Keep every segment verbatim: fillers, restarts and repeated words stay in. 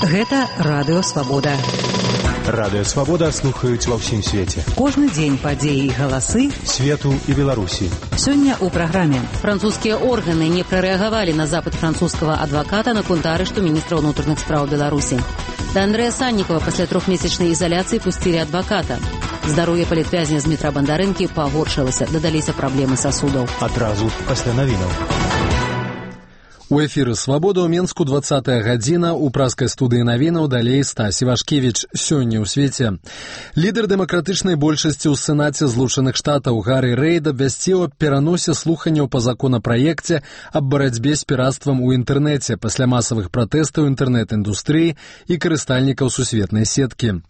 Гэта Радыё Свабода. Радыё Свабода слухаюць ва ўсім свеце. Кожны дзень падзеі і галасы свету і Беларусі. Сёння ў праграме. Французскія органы не прарэагавалі на запыт французскага адваката наконт арышту міністра ўнутраных спраў Беларусі. Да Андрэя Саннікова пасля трохмесячнай ізаляцыі пусцілі адваката. Здароўе палітвязня Дмітра Бандарэнкі пагоршылася, дадаліся праблемы сасудаў. Адразу пасля навінаў. У эфіры «Свабода» ў Менску двадцатая гадзіна, у праскай студыі навінаў далей Стась Івашкевіч. Сёння ў свеце. Лідар дэмакратычнай большасці ў Сенаце Злучаных Штатаў Гаррі Рэйд абвясціў аб пераносе слуханняў па законапраекце аб барацьбе з пірацтвам у інтэрнэце пасля масавых пратэстаў інтэрнэт-індустрыі і карыстальнікаў сусветнай сеткі.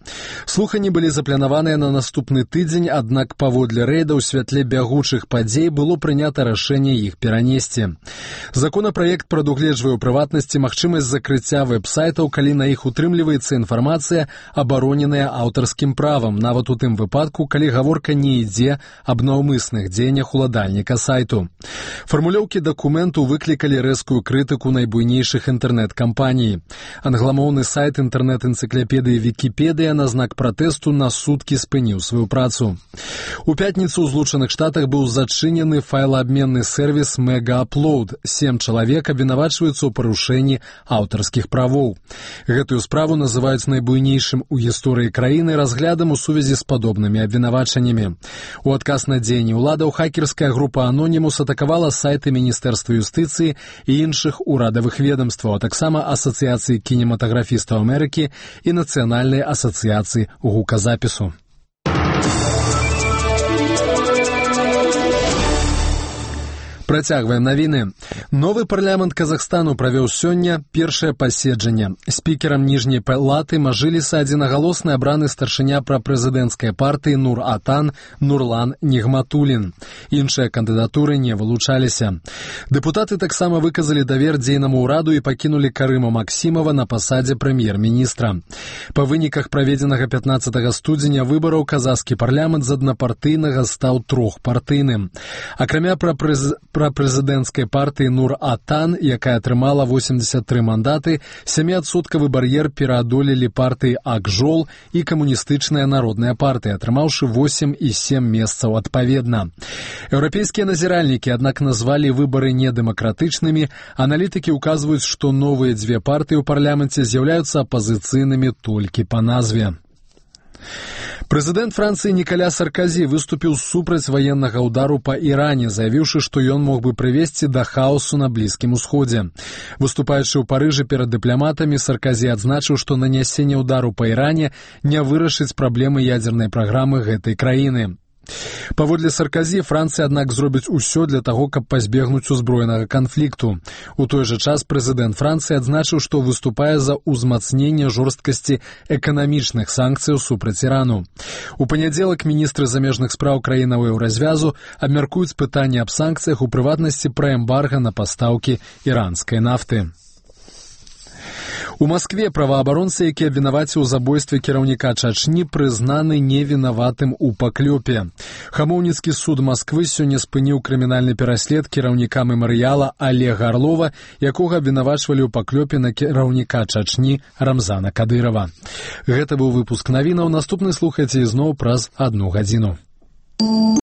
Слуханні былі запланаваныя на наступны тыдзень, аднак паводле Рэйда ў святле бягучых падзей было прынята рашэнне іх перанесці. Законапраект прадугледжвае ў прыватнасці магчымасць закрыцця вэб-сайтаў, калі на іх утрымліваецца інфармацыя, абароненая аўтарскім правам, нават у тым выпадку, калі гаворка не ідзе аб наўмысных дзеяннях уладальніка сайту. Фармулёўкі дакументу выклікалі рэзкую крытыку найбуйнейшых інтэрнэт-кампаній. Англамоўны сайт інтэрнэт-энцыклапедыі Вікіпедыя на знак пратэсту на суткі спыніў сваю працу. У пятніцу ў Злучаных Штатах быў зачынены файлаабменны сервіс Мегааплоуд. Сем чалавек абвінавачваюцца ў парушэнні аўтарскіх правоў. Гэтую справу называюць найбуйнейшым у гісторыі краіны разглядам у сувязі з падобнымі абвінавачаннямі. У адказ на дзеянні ўладаў хакерская група Анонімус атакавала сайты Міністэрства юстыцыі і іншых урадавых ведомстваў, а таксама Асацыяцыі кінематаграфістаў Амерыкі і Нацыянальнай асацыяцыі гуказапісу. Працягваем навіны. Новы парламент Казахстану правёў сёння першае паседжанне. Спікерам ніжняй палаты Мажліса адзінагалосна абраны старшыня прапрэзідэнцкай партыі Нур-Атан Нурлан Нігматуллін. Іншыя кандыдатуры не вылучаліся. Дэпутаты таксама выказалі давер дзейнаму ўраду і пакінулі Карыма Максімова на пасадзе прэм'ер-міністра. Па выніках праведзенага пятнаццатага студзеня выбараў казахскі парламент з аднапартыйнага стаў трохпартыйным. Акрамя прапрэз... прапрэзідэнцкай партыі Нур-Атан, якая атрымала восемьдесят тры мандаты, сяміадсоткавы бар'ер пераадолелі партыі Ак-Жол і камуністычная народная партыя, атрымаўшы восемь і сем месцаў адпаведна. Еўрапейскія назіральнікі, аднак, назвалі выбары недэмакратычнымі. Аналітыкі ўказваюць, што новыя дзве партыі ў парламенце з'яўляюцца апазіцыйнымі толькі па назве. Прэзідэнт Францыі Нікаля Сарказі выступіў супраць ваеннага ўдару па Іране, заявіўшы, што ён мог бы прывесці да хаосу на Блізкім Усходзе. Выступаючы ў Парыжы перад дыпламатамі, Сарказі адзначыў, што нанясенне ўдару па Іране не вырашыць праблемы ядзернай праграмы гэтай краіны. Паводле Сарказі, Францыя, аднак, зробіць усё для таго, каб пазбегнуць узброенага канфлікту. У той жа час прэзідэнт Францыі адзначыў, што выступае за ўзмацненне жорсткасці эканамічных санкцыяў супраць Ірану. У панядзелак міністры замежных спраў краінаў еўразвязу абмяркуюць пытанне аб санкцыях, у прыватнасці пра эмбарга на пастаўкі іранскай нафты. У Маскве праваабаронцы, які абвінаваціў у забойстве кіраўніка Чачні, прызнаны невінаватым у паклёпе. Хамоўніцкі суд Масквы сёння спыніў крымінальны пераслед кіраўніка мемарыяла Олега Орлова, якога абвінавачвалі ў паклёпе на кіраўніка Чачні Рамзана Кадырова. Гэта быў выпуск навінаў. Наступны слухайце ізноў праз адну гадзіну.